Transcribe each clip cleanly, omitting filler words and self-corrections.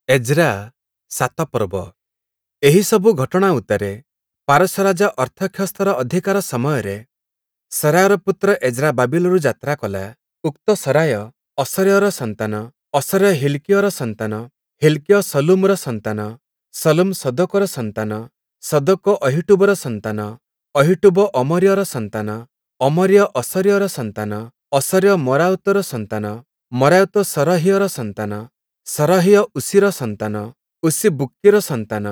Ezra ସାତ ପର୍ବ। ଏହିସବୁ ଘଟଣା ଉତ୍ତାରେ ପାରସ୍ୟ ରାଜା ଅର୍ତ୍ତକ୍ଷସ୍ତର ଅଧିକାର ସମୟରେ ସରାୟର ପୁତ୍ର ଏଜ୍ରା ବାବିଲରୁ ଯାତ୍ରା କଲା। ଉକ୍ତ ସରାୟ ଅସର୍ୟର ସନ୍ତାନ, ଅସର୍ୟ ହିଲ୍କିୟର ସନ୍ତାନ, ହିଲ୍କିୟ ଶଲ୍ଲୁମର ସନ୍ତାନ, ଶଲ୍ଲୁମ ସଦୋକର ସନ୍ତାନ, ସଦୋକ ଅହୀଟୂବର ସନ୍ତାନ, ଅହୀଟୂବ ଅମର୍ୟର ସନ୍ତାନ, ଅମର୍ୟ ଅସର୍ୟର ସନ୍ତାନ, ଅସର୍ୟ ମରାୟୋତର ସନ୍ତାନ, ମରାୟୋତ ସରହୀୟର ସନ୍ତାନ, ସରହୀୟ ଉଷିର ସନ୍ତାନ, ଉଷି ବୁକ୍କିର ସନ୍ତାନ,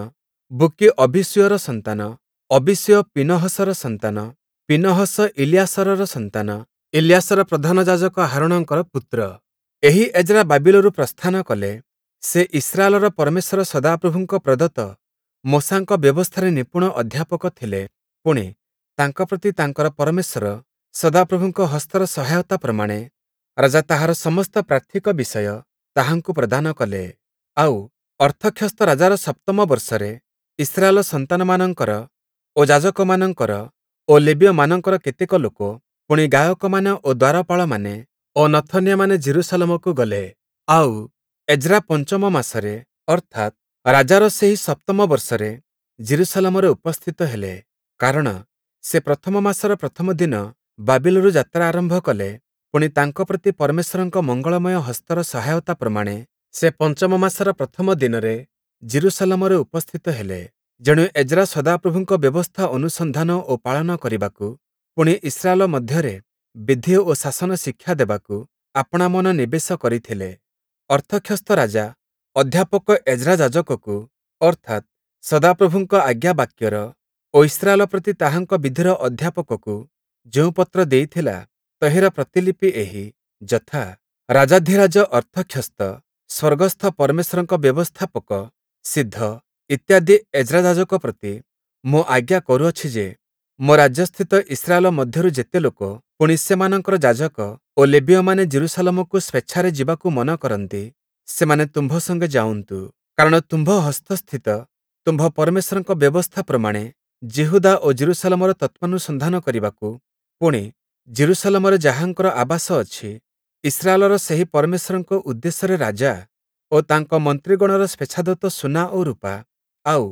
ବୁକ୍କି ଅବୀଶୂୟର ସନ୍ତାନ, ଅବୀଶୂୟ ପୀନହସର ସନ୍ତାନ, ପୀନହସ ଇଲିୟାସରର ସନ୍ତାନ, ଇଲିୟାସର ପ୍ରଧାନ ଯାଜକ ହାରୋଣଙ୍କର ପୁତ୍ର। ଏହି ଏଜ୍ରା ବାବିଲରୁ ପ୍ରସ୍ଥାନ କଲେ। ସେ ଇସ୍ରାଏଲର ପରମେଶ୍ୱର ସଦାପ୍ରଭୁଙ୍କ ପ୍ରଦତ୍ତ ମୋଶାଙ୍କ ବ୍ୟବସ୍ଥାରେ ନିପୁଣ ଅଧ୍ୟାପକ ଥିଲେ। ପୁଣି, ତାଙ୍କ ପ୍ରତି ତାଙ୍କର ପରମେଶ୍ୱର ସଦାପ୍ରଭୁଙ୍କ ହସ୍ତର ସହାୟତା ପ୍ରମାଣେ ରାଜା ତାହାର ସମସ୍ତ ପ୍ରାର୍ଥିକ ବିଷୟ ତାହାଙ୍କୁ ପ୍ରଦାନ କଲେ। ଆଉ, ଅର୍ତ୍ତକ୍ଷସ୍ତ ରାଜାର ସପ୍ତମ ବର୍ଷରେ ଇସ୍ରାଏଲ ସନ୍ତାନମାନଙ୍କର ଓ ଯାଜକମାନଙ୍କର ଓ ଲେବୀୟମାନଙ୍କର କେତେକ ଲୋକ, ପୁଣି ଗାୟକମାନେ ଓ ଦ୍ୱାରପାଳମାନେ ଓ ନଥନୀୟମାନେ ଯିରୂଶାଲମକୁ ଗଲେ। ଆଉ, ଏଜ୍ରା ପଞ୍ଚମ ମାସରେ, ଅର୍ଥାତ୍, ରାଜାର ସେହି ସପ୍ତମ ବର୍ଷରେ ଯିରୂଶାଲମରେ ଉପସ୍ଥିତ ହେଲେ। କାରଣ ସେ ପ୍ରଥମ ମାସର ପ୍ରଥମ ଦିନ ବାବିଲରୁ ଯାତ୍ରା ଆରମ୍ଭ କଲେ। ପୁଣି, ତାଙ୍କ ପ୍ରତି ପରମେଶ୍ୱରଙ୍କ ମଙ୍ଗଳମୟ ହସ୍ତର ସହାୟତା ପ୍ରମାଣେ ସେ ପଞ୍ଚମ ମାସର ପ୍ରଥମ ଦିନରେ ଯିରୂଶାଲମରେ ଉପସ୍ଥିତ ହେଲେ। ଯେଣୁ ଏଜ୍ରା ସଦାପ୍ରଭୁଙ୍କ ବ୍ୟବସ୍ଥା ଅନୁସନ୍ଧାନ ଓ ପାଳନ କରିବାକୁ, ପୁଣି ଇସ୍ରାଏଲ ମଧ୍ୟରେ ବିଧି ଓ ଶାସନ ଶିକ୍ଷା ଦେବାକୁ ଆପଣା ମନ ନିବେଶ କରିଥିଲେ। ଅର୍ତ୍ତକ୍ଷସ୍ତ ରାଜା ଅଧ୍ୟାପକ ଏଜ୍ରା ଯାଜକକୁ, ଅର୍ଥାତ୍, ସଦାପ୍ରଭୁଙ୍କ ଆଜ୍ଞାବାକ୍ୟର ଓ ଇସ୍ରାଏଲ ପ୍ରତି ତାହାଙ୍କ ବିଧିର ଅଧ୍ୟାପକକୁ ଯେଉଁ ପତ୍ର ଦେଇଥିଲା, ତହିଁର ପ୍ରତିଲିପି ଏହି, ଯଥା, ରାଜାଧିରାଜ ଅର୍ତ୍ତକ୍ଷସ୍ତ, ସ୍ୱର୍ଗସ୍ଥ ପରମେଶ୍ୱରଙ୍କ ବ୍ୟବସ୍ଥାପକ ସିଦ୍ଧ ଇତ୍ୟାଦି ଏଜ୍ରା ଯାଜକ ପ୍ରତି ମୁଁ ଆଜ୍ଞା କରୁଅଛି ଯେ, ମୋ ରାଜ୍ୟସ୍ଥିତ ଇସ୍ରାଏଲ ମଧ୍ୟରୁ ଯେତେ ଲୋକ, ପୁଣି ସେମାନଙ୍କର ଯାଜକ ଓ ଲେବୀୟମାନେ ଯିରୂଶାଲମକୁ ସ୍ୱେଚ୍ଛାରେ ଯିବାକୁ ମନ କରନ୍ତି, ସେମାନେ ତୁମ୍ଭ ସଙ୍ଗେ ଯାଉନ୍ତୁ। କାରଣ ତୁମ୍ଭ ହସ୍ତସ୍ଥିତ ତୁମ୍ଭ ପରମେଶ୍ୱରଙ୍କ ବ୍ୟବସ୍ଥା ପ୍ରମାଣେ ଯିହୁଦା ଓ ଯିରୂଶାଲମର ତତ୍ତ୍ୱାନୁସନ୍ଧାନ କରିବାକୁ, ପୁଣି ଯିରୂଶାଲମରେ ଯାହାଙ୍କର ଆବାସ ଅଛି, ଇସ୍ରାଏଲର ସେହି ପରମେଶ୍ୱରଙ୍କ ଉଦ୍ଦେଶ୍ୟରେ ରାଜା ଓ ତାଙ୍କ ମନ୍ତ୍ରୀଗଣର ସ୍ୱେଚ୍ଛାଦତ୍ତ ସୁନା ଓ ରୂପା, ଆଉ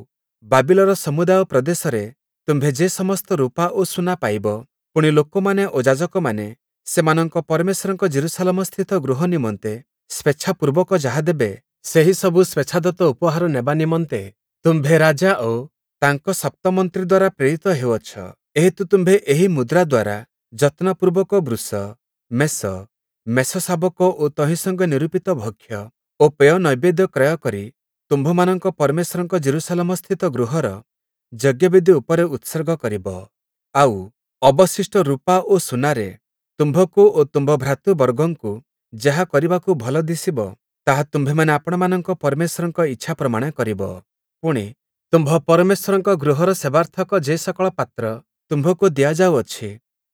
ବାବିଲର ସମୁଦାୟ ପ୍ରଦେଶରେ ତୁମ୍ଭେ ଯେ ସମସ୍ତ ରୂପା ଓ ସୁନା ପାଇବ, ପୁଣି ଲୋକମାନେ ଓ ଯାଜକମାନେ ସେମାନଙ୍କ ପରମେଶ୍ୱରଙ୍କ ଯିରୂଶାଲମସ୍ଥିତ ଗୃହ ନିମନ୍ତେ ସ୍ୱେଚ୍ଛାପୂର୍ବକ ଯାହା ଦେବେ, ସେହି ସବୁ ସ୍ୱେଚ୍ଛାଦତ୍ତ ଉପହାର ନେବା ନିମନ୍ତେ ତୁମ୍ଭେ ରାଜା ଓ ତାଙ୍କ ସପ୍ତମନ୍ତ୍ରୀ ଦ୍ୱାରା ପ୍ରେରିତ ହେଉଅଛ। ଏହେତୁ ତୁମ୍ଭେ ଏହି ମୁଦ୍ରା ଦ୍ୱାରା ଯତ୍ନପୂର୍ବକ ବୃଷ, ମେଷ, ମେଷଶାବକ ଓ ତହିଁ ସଙ୍ଗେ ନିରୂପିତ ଭକ୍ଷ୍ୟ ଓ ପେୟ ନୈବେଦ୍ୟ କ୍ରୟ କରି ତୁମ୍ଭମାନଙ୍କ ପରମେଶ୍ୱରଙ୍କ ଯିରୂଶାଲମସ୍ଥିତ ଗୃହର ଯଜ୍ଞବେଦି ଉପରେ ଉତ୍ସର୍ଗ କରିବ। ଆଉ, ଅବଶିଷ୍ଟ ରୂପା ଓ ସୁନାରେ ତୁମ୍ଭକୁ ଓ ତୁମ୍ଭ ଭ୍ରାତୃବର୍ଗଙ୍କୁ ଯାହା କରିବାକୁ ଭଲ ଦିଶିବ, ତାହା ତୁମ୍ଭେମାନେ ଆପଣାମାନଙ୍କ ପରମେଶ୍ୱରଙ୍କ ଇଚ୍ଛା ପ୍ରମାଣେ କରିବ। ପୁଣି, ତୁମ୍ଭ ପରମେଶ୍ୱରଙ୍କ ଗୃହର ସେବାର୍ଥକ ଯେ ସକଳ ପାତ୍ର ତୁମ୍ଭକୁ ଦିଆଯାଉଅଛି,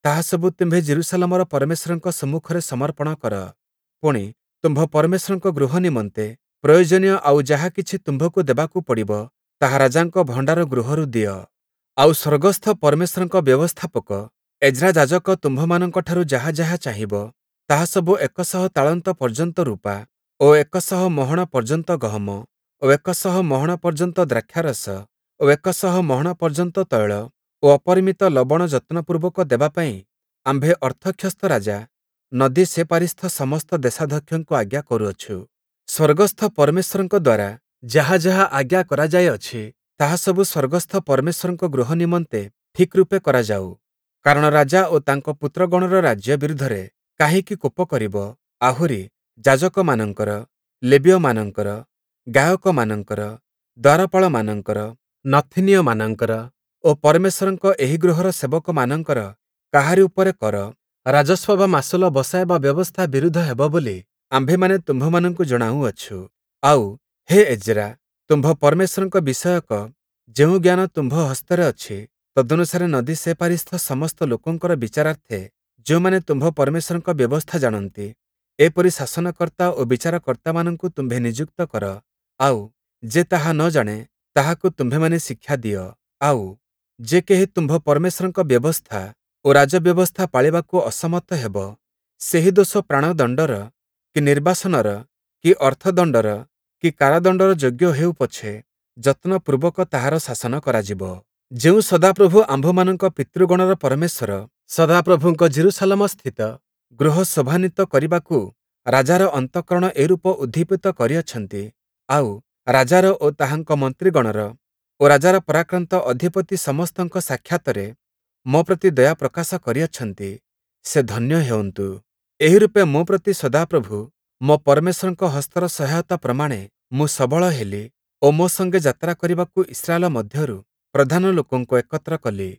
ତାହା ସବୁ ତୁମ୍ଭେ ଯିରୂଶାଲମର ପରମେଶ୍ୱରଙ୍କ ସମ୍ମୁଖରେ ସମର୍ପଣ କର। ପୁଣି, ତୁମ୍ଭ ପରମେଶ୍ୱରଙ୍କ ଗୃହ ନିମନ୍ତେ ପ୍ରୟୋଜନୀୟ ଆଉ ଯାହା କିଛି ତୁମ୍ଭକୁ ଦେବାକୁ ପଡ଼ିବ, ତାହା ରାଜାଙ୍କ ଭଣ୍ଡାର ଗୃହରୁ ଦିଅ। ଆଉ ସ୍ୱର୍ଗସ୍ଥ ପରମେଶ୍ୱରଙ୍କ ବ୍ୟବସ୍ଥାପକ ଏଜ୍ରା ଯାଜକ ତୁମ୍ଭମାନଙ୍କଠାରୁ ଯାହା ଯାହା ଚାହିଁବ, ତାହା ସବୁ 100 ତାଳନ୍ତ ପର୍ଯ୍ୟନ୍ତ ରୂପା ଓ 100 ମହଣ ପର୍ଯ୍ୟନ୍ତ ଗହମ ଓ 100 ମହଣ ପର୍ଯ୍ୟନ୍ତ ଦ୍ରାକ୍ଷାରସ ଓ 100 ମହଣ ପର୍ଯ୍ୟନ୍ତ ତୈଳ ଓ ଅପରିମିତ ଲବଣ ଯତ୍ନପୂର୍ବକ ଦେବା ପାଇଁ ଆମ୍ଭେ ଅର୍ତ୍ତକ୍ଷସ୍ତ ରାଜା ନଦୀ ସେପାରିସ୍ଥ ସମସ୍ତ ଦେଶାଧ୍ୟକ୍ଷଙ୍କୁ ଆଜ୍ଞା କରୁଅଛୁ। ସ୍ୱର୍ଗସ୍ଥ ପରମେଶ୍ୱରଙ୍କ ଦ୍ୱାରା ଯାହା ଯାହା ଆଜ୍ଞା କରାଯାଇଅଛି, ତାହା ସବୁ ସ୍ୱର୍ଗସ୍ଥ ପରମେଶ୍ୱରଙ୍କ ଗୃହ ନିମନ୍ତେ ଠିକ୍ ରୂପେ କରାଯାଉ। କାରଣ ରାଜା ଓ ତାଙ୍କ ପୁତ୍ରଗଣର ରାଜ୍ୟ ବିରୁଦ୍ଧରେ କାହିଁକି କୋପ କରିବ? ଆହୁରି ଯାଜକମାନଙ୍କର, ଲେବୀୟମାନଙ୍କର, ଗାୟକମାନଙ୍କର, ଦ୍ୱାରପାଳମାନଙ୍କର, ନଥୀନୀୟମାନଙ୍କର ଓ ପରମେଶ୍ୱରଙ୍କ ଏହି ଗୃହର ସେବକମାନଙ୍କର କାହାରି ଉପରେ କର, ରାଜସ୍ୱ ବା ମାସୁଲ ବସାଇବା ବ୍ୟବସ୍ଥା ବିରୁଦ୍ଧ ହେବ ବୋଲି ଆମ୍ଭେମାନେ ତୁମ୍ଭମାନଙ୍କୁ ଜଣାଉଅଛୁ। ଆଉ, ହେ ଏଜ୍ରା, ତୁମ୍ଭ ପରମେଶ୍ୱରଙ୍କ ବିଷୟକ ଯେଉଁ ଜ୍ଞାନ ତୁମ୍ଭ ହସ୍ତରେ ଅଛି, ତଦନୁସାରେ ନଦୀ ସେପାରିସ୍ଥ ସମସ୍ତ ଲୋକଙ୍କର ବିଚାରାର୍ଥେ ଯେଉଁମାନେ ତୁମ୍ଭ ପରମେଶ୍ୱରଙ୍କ ବ୍ୟବସ୍ଥା ଜାଣନ୍ତି, ଏପରି ଶାସନକର୍ତ୍ତା ଓ ବିଚାରକର୍ତ୍ତାମାନଙ୍କୁ ତୁମ୍ଭେ ନିଯୁକ୍ତ କର। ଆଉ, ଯେ ତାହା ନ ଜାଣେ, ତାହାକୁ ତୁମ୍ଭେମାନେ ଶିକ୍ଷା ଦିଅ। ଆଉ, ଯେ କେହି ତୁମ୍ଭ ପରମେଶ୍ୱରଙ୍କ ବ୍ୟବସ୍ଥା ଓ ରାଜବ୍ୟବସ୍ଥା ପାଳିବାକୁ ଅସମର୍ଥ ହେବ, ସେହି ଦୋଷ ପ୍ରାଣଦଣ୍ଡର କି ନିର୍ବାସନର କି ଅର୍ଥଦଣ୍ଡର କି କାରାଦଣ୍ଡର ଯୋଗ୍ୟ ହେଉ ପଛେ, ଯତ୍ନପୂର୍ବକ ତାହାର ଶାସନ କରାଯିବ। ଯେଉଁ ସଦାପ୍ରଭୁ ଆମ୍ଭମାନଙ୍କ ପିତୃଗଣର ପରମେଶ୍ୱର ସଦାପ୍ରଭୁଙ୍କ ଯିରୂଶାଲମସ୍ଥିତ ଗୃହ ଶୋଭାନ୍ୱିତ କରିବାକୁ ରାଜାର ଅନ୍ତଃକରଣ ଏରୂପ ଉଦ୍ଦୀପିତ କରିଅଛନ୍ତି, ଆଉ, ରାଜାର ଓ ତାହାଙ୍କ ମନ୍ତ୍ରିଗଣର ଓ ରାଜାର ପରାକ୍ରାନ୍ତ ଅଧିପତି ସମସ୍ତଙ୍କ ସାକ୍ଷାତରେ ମୋ ପ୍ରତି ଦୟା ପ୍ରକାଶ କରିଅଛନ୍ତି, ସେ ଧନ୍ୟ ହେଉନ୍ତୁ। ଏହିରୂପେ ମୋ ପ୍ରତି ସଦାପ୍ରଭୁ ମୋ ପରମେଶ୍ୱରଙ୍କ ହସ୍ତର ସହାୟତା ପ୍ରମାଣେ ମୁଁ ସବଳ ହେଲି ଓ ମୋ ସଙ୍ଗେ ଯାତ୍ରା କରିବାକୁ ଇସ୍ରାଏଲ ମଧ୍ୟରୁ ପ୍ରଧାନ ଲୋକଙ୍କୁ ଏକତ୍ର କଲି।